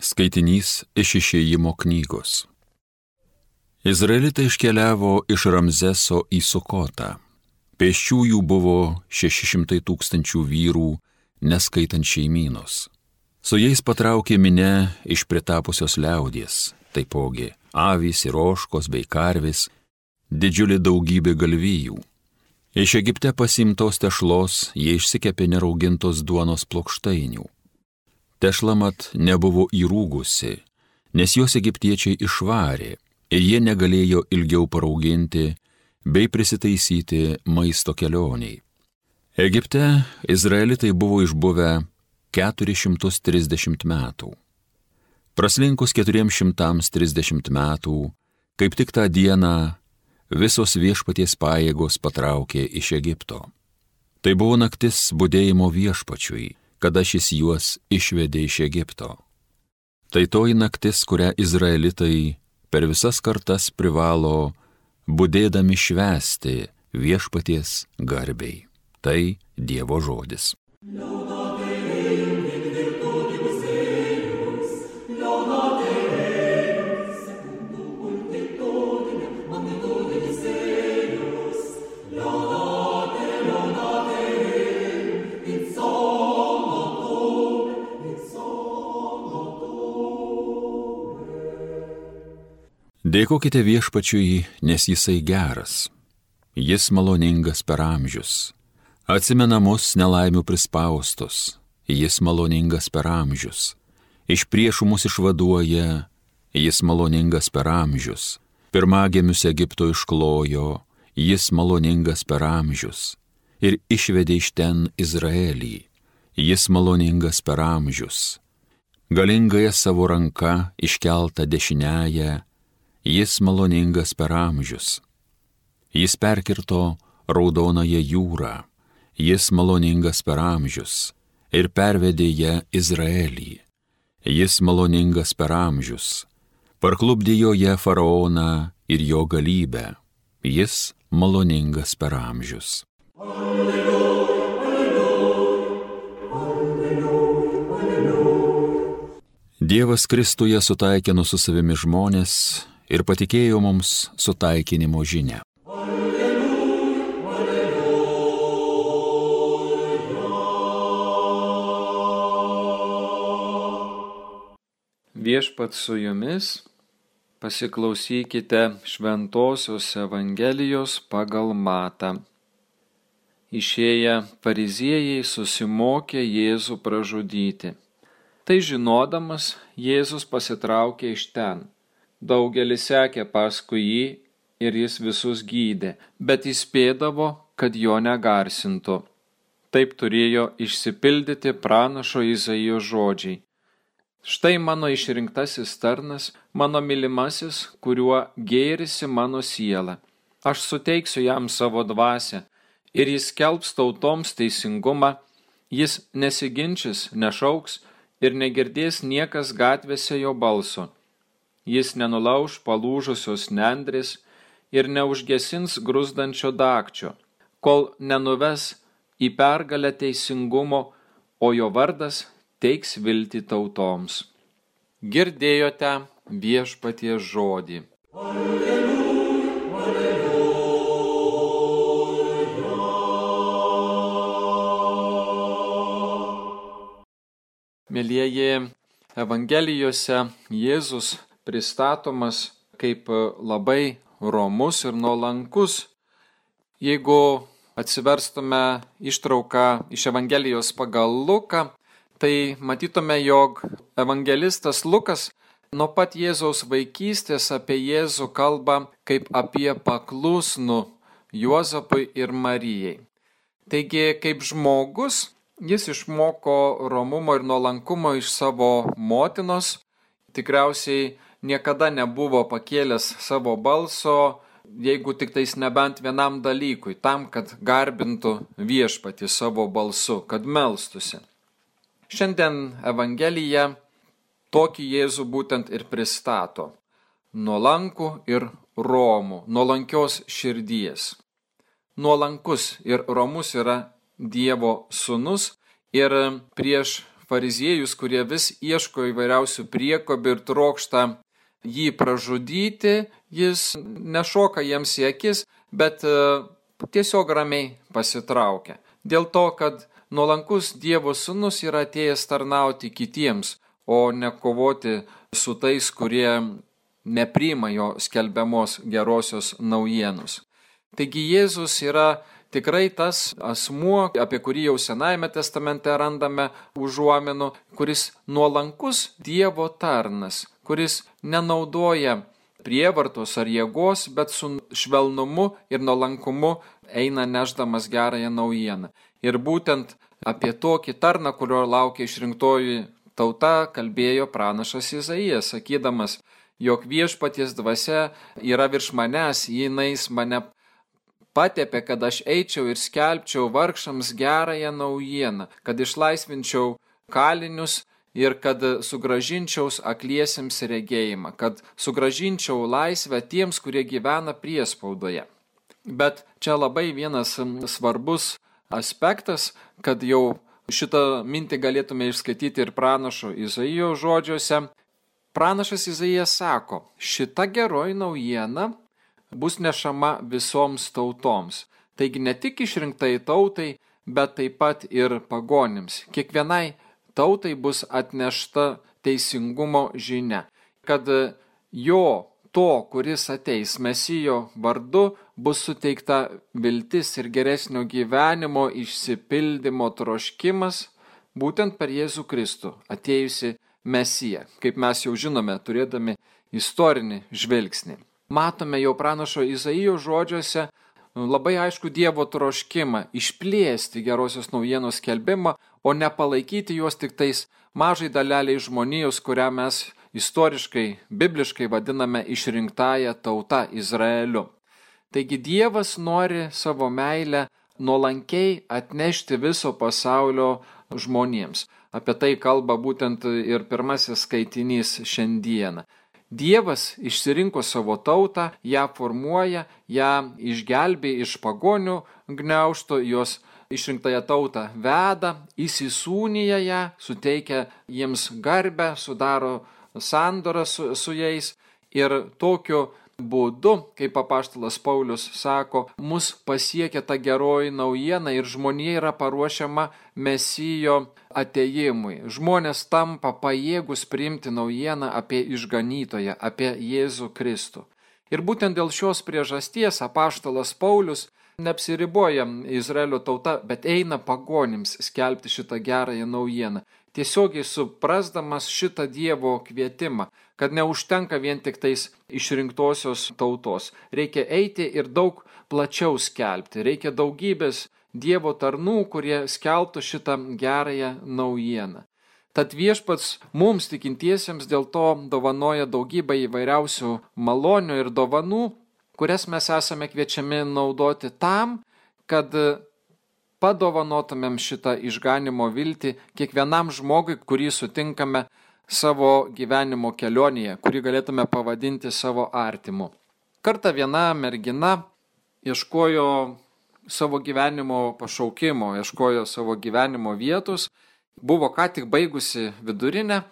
Skaitinys iš Išėjimo knygos. Izraelitai iškeliavo iš Ramzeso į Sukotą. Pėsčiųjų buvo 600 000 vyrų, neskaitant šeimynos. Su jais patraukė minia iš pritapusios liaudies, taipogi avys ir ožkos bei karvės, didžiulė daugybė galvijų. Iš Egipte pasiimtos tešlos jie išsikepė neraugintos duonos plokštainių. Tešla mat nebuvo įrūgusi, nes jos egiptiečiai išvarė ir jie negalėjo ilgiau parauginti bei prisitaisyti maisto kelioniai. Egipte izraelitai buvo išbuvę 430 metų. Praslinkus 430 metų, kaip tik tą dieną visos viešpaties pajėgos patraukė iš Egipto. Tai buvo naktis budėjimo viešpačiui, kada šis juos išvedė iš Egipto. Tai toji naktis, kurią izraelitai per visas kartas privalo budėdami švęsti viešpaties garbei. Tai Dievo žodis. Dėkokite viešpačiui, nes jisai geras. Jis maloningas per amžius. Atsimena mus nelaimių prispaustus. Jis maloningas per amžius. Iš priešų mus išvaduoja. Jis maloningas per amžius. Pirmagimius Egipto išklojo. Jis maloningas per amžius. Ir išvedė iš ten Izraelį. Jis maloningas per amžius. Galingąją savo ranką iškeltą dešiniąją. Jis maloningas per amžius. Jis perkirto raudonąją jūrą. Jis maloningas per amžius ir pervedė ją Izraelį. Jis maloningas per amžius. Parklupdė joje faraoną ir jo galybę. Jis maloningas per amžius. Dievas Kristuje sutaikino su savimi žmonės ir patikėjo mums sutaikinimo žinią. Viešpats su jumis, pasiklausykite Šventosios Evangelijos pagal Matą. Išėję fariziejai susimokė Jėzų pražudyti. Tai žinodamas, Jėzus pasitraukė iš ten. Daugelis sekė paskui jį ir jis visus gydė, bet įspėdavo, kad jo negarsintų. Taip turėjo išsipildyti pranašo Izaijo žodžiai. Štai mano išrinktasis tarnas, mano mylimasis, kuriuo gėrisi mano siela. Aš suteiksiu jam savo dvasią ir jis skelbs tautoms teisingumą, jis nesiginčys, nešauks ir negirdės niekas gatvėse jo balso. Jis nenulauš palūžusios nendrės ir neužgesins gruzdančio dagčio, kol nenuves į pergalę teisingumo, o jo vardas teiks viltį tautoms. Girdėjote viešpaties žodį. Alleluja, alleluja. Mielieji, Evangelijose Jėzus pristatomas kaip labai romus ir nuolankus. Jeigu atsiverstume ištrauką iš Evangelijos pagal Luką, tai matytume, jog evangelistas Lukas nuo pat Jėzaus vaikystės apie Jėzų kalba kaip apie paklusnų Juozapui ir Marijai. Taigi, kaip žmogus, jis išmoko romumo ir nuolankumo iš savo motinos, tikriausiai niekada nebuvo pakėlęs savo balso, jeigu tik tais nebent vienam dalykui, tam, kad garbintų viešpatį savo balsu, kad melstusi. Šiandien Evangelija tokį Jėzų būtent ir pristato. Nuolankų ir romų, nuolankios širdies. Nuolankus ir romus yra Dievo sūnus ir prieš fariziejus, kurie vis ieško įvairiausių priekobių ir trokšta jį pražudyti, jis nešoka jiems į akis, bet tiesiog ramiai pasitraukia. Dėl to, kad nuolankus Dievo sūnus yra atėjęs tarnauti kitiems, o ne kovoti su tais, kurie nepriima jo skelbiamos gerosios naujienos. Taigi Jėzus yra tikrai tas asmuo, apie kurį jau Senajame testamente randame užuominų, kuris nuolankus Dievo tarnas, kuris nenaudoja prievartos ar jėgos, bet su švelnumu ir nuolankumu eina nešdamas gerąją naujieną. Ir būtent apie tokį tarną, kurio laukia išrinktoji tauta, kalbėjo pranašas Izaijas, sakydamas, jog viešpaties dvasia yra virš manęs, jinais mane patepė, kad aš eičiau ir skelbčiau vargšams gerąją naujieną, kad išlaisvinčiau kalinius ir kad sugražinčiau akliesiems regėjimą, kad sugražinčiau laisvę tiems, kurie gyvena priespaudoje. Bet čia labai vienas svarbus aspektas, kad jau šitą mintį galėtume išskaityti ir pranašo Izaijo žodžiuose. Pranašas Izaijas sako, šita geroji naujiena bus nešama visoms tautoms. Taigi ne tik išrinktai tautai, bet taip pat ir pagonims. Kiekvienai tautai bus atnešta teisingumo žinia, kad jo, to, kuris ateis Mesijo vardu, bus suteikta viltis ir geresnio gyvenimo išsipildymo troškimas, būtent per Jėzų Kristų, atėjusi Mesiją, kaip mes jau žinome, turėdami istorinį žvilgsnį. Matome jau pranašo Izaijo žodžiuose labai aišku Dievo troškimą išplėsti gerosios naujienos skelbimą, o ne palaikyti juos tik tais mažai daleliai žmonijos, kurią mes istoriškai, bibliškai vadiname išrinktąją tautą Izraeliu. Taigi Dievas nori savo meilę nuolankiai atnešti viso pasaulio žmonėms. Apie tai kalba būtent ir pirmasis skaitinys šiandieną. Dievas išsirinko savo tautą, ją formuoja, ją išgelbė iš pagonių gniaužto, jos išrinktąją tautą veda, įsisūnija ją, suteikia jiems garbę, sudaro sandorą su jais ir tokiu būdu, kaip apaštalas Paulius sako, mus pasiekia ta geroji naujiena ir žmonija yra paruošiama Mesijo atėjimui. Žmonės tampa pajėgus priimti naujieną apie išganytoją, apie Jėzų Kristų. Ir būtent dėl šios priežasties apaštalas Paulius neapsiriboja Izraelio tauta, bet eina pagonims skelbti šitą gerąją naujieną. Tiesiogiai suprasdamas šitą Dievo kvietimą, kad neužtenka vien tik tais išrinktosios tautos. Reikia eiti ir daug plačiau skelbti. Reikia daugybės Dievo tarnų, kurie skelbtų šitą gerąją naujieną. Tad Viešpats mums tikintiesiems dėl to dovanoja daugybę įvairiausių malonių ir dovanų, kurias mes esame kviečiami naudoti tam, kad padovanotumėm šitą išganimo viltį kiekvienam žmogui, kurį sutinkame savo gyvenimo kelionėje, kurį galėtume pavadinti savo artimu. Kartą viena mergina ieškojo savo gyvenimo pašaukimo, ieškojo savo gyvenimo vietos, buvo ką tik baigusi vidurinę,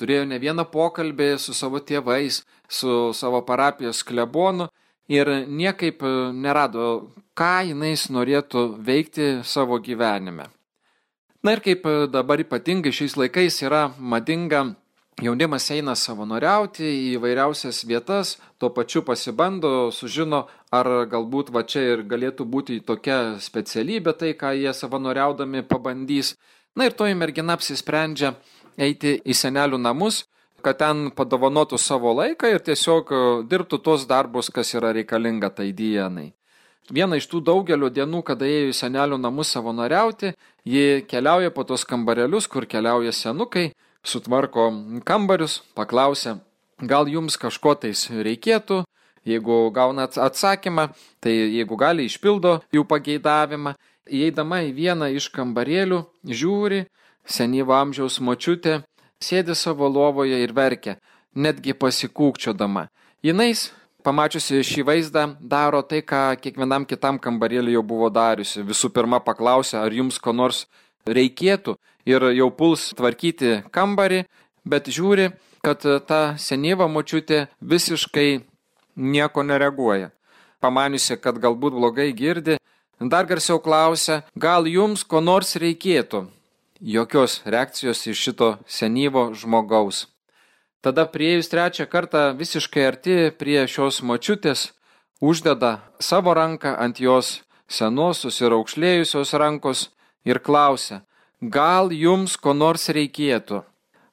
turėjo ne vieną pokalbį su savo tėvais, su savo parapijos klebonu ir niekaip nerado, ką jinais norėtų veikti savo gyvenime. Na ir kaip dabar ypatingai šiais laikais yra madinga, jaunimas eina savanoriauti į įvairiausias vietas, tuo pačiu pasibando, sužino, ar galbūt va čia ir galėtų būti tokia specialybė, tai ką jie savanoriaudami pabandys. Na ir toji mergina apsisprendžia eiti į senelių namus, kad ten padovanotų savo laiką ir tiesiog dirbtų tos darbus, kas yra reikalinga tai dienai. Viena iš tų daugelio dienų, kada ėjo į senelių namus savanoriauti, ji keliauja po tos kambarelius, kur keliauja senukai, sutvarko kambarius, paklausia, gal jums kažko tais reikėtų, jeigu gauna atsakymą, tai jeigu gali išpildo jų pageidavimą. Įeidama į vieną iš kambarėlių, žiūri, senyvo amžiaus močiutė sėdi savo lovoje ir verkia, netgi pasikūkčiodama. Jinais, pamačiusi šį vaizdą, daro tai, ką kiekvienam kitam kambarėliui jau buvo dariusi. Visų pirma paklausia, ar jums ko nors reikėtų, ir jau puls tvarkyti kambarį, bet žiūri, kad ta senyva močiutė visiškai nieko nereaguoja. Pamaniusi, kad galbūt blogai girdi, dar garsiau klausia, gal jums ko nors reikėtų? Jokios reakcijos iš šito senyvo žmogaus. Tada priėjus trečią kartą visiškai arti prie šios močiutės, uždeda savo ranką ant jos senosios ir aukšlėjusios rankos ir klausia, gal jums ko nors reikėtų?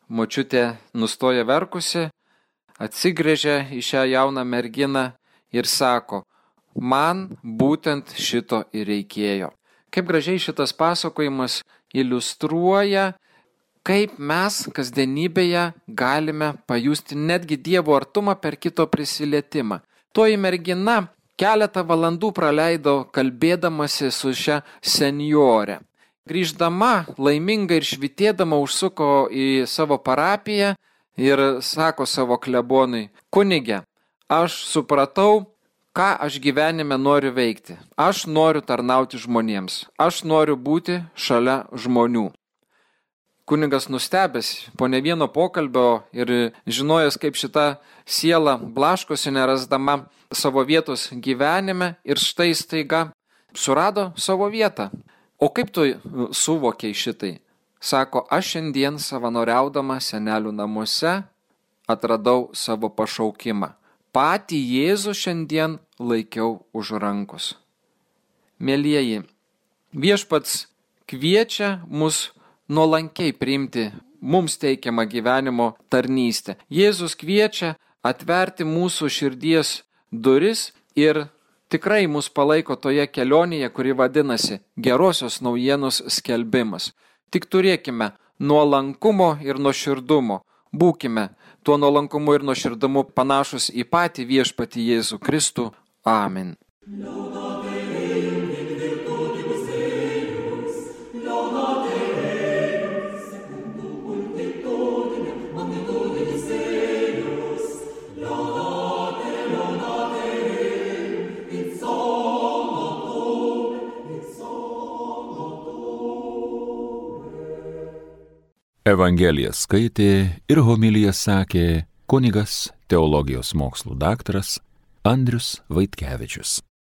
Močiutė nustoja verkusi, atsigręžia į šią jauną merginą ir sako, man būtent šito ir reikėjo. Kaip gražiai šitas pasakojimas iliustruoja, kaip mes kasdienybėje galime pajusti netgi Dievo artumą per kito prisilietimą. Toji mergina keletą valandų praleido kalbėdamasi su šia senjore. Grįždama, laiminga ir švitėdama užsuko į savo parapiją ir sako savo klebonui, kunige, aš supratau, ką aš gyvenime noriu veikti. Aš noriu tarnauti žmonėms. Aš noriu būti šalia žmonių. Kunigas nustebęs po ne vieno pokalbio ir žinojęs, kaip šita siela blaškosi nerasdama savo vietos gyvenime ir štai staiga surado savo vietą. O kaip tu suvokiai šitai? Sako, aš šiandien savanoriaudama senelių namuose atradau savo pašaukimą. Patį Jėzų šiandien laikiau už rankos. Mielieji, viešpats kviečia mus nuolankiai priimti mums teikiamą gyvenimo tarnystę. Jėzus kviečia atverti mūsų širdies duris ir tikrai mus palaiko toje kelionėje, kuri vadinasi gerosios naujienos skelbimas. Tik turėkime nuolankumo ir nuoširdumo. Būkime tuo nuolankumu ir nuoširdumu panašus į patį viešpatį Jėzų Kristų. Amen. Evangeliją skaitė ir homiliją sakė kunigas teologijos mokslų daktaras Andrius Vaitkevičius.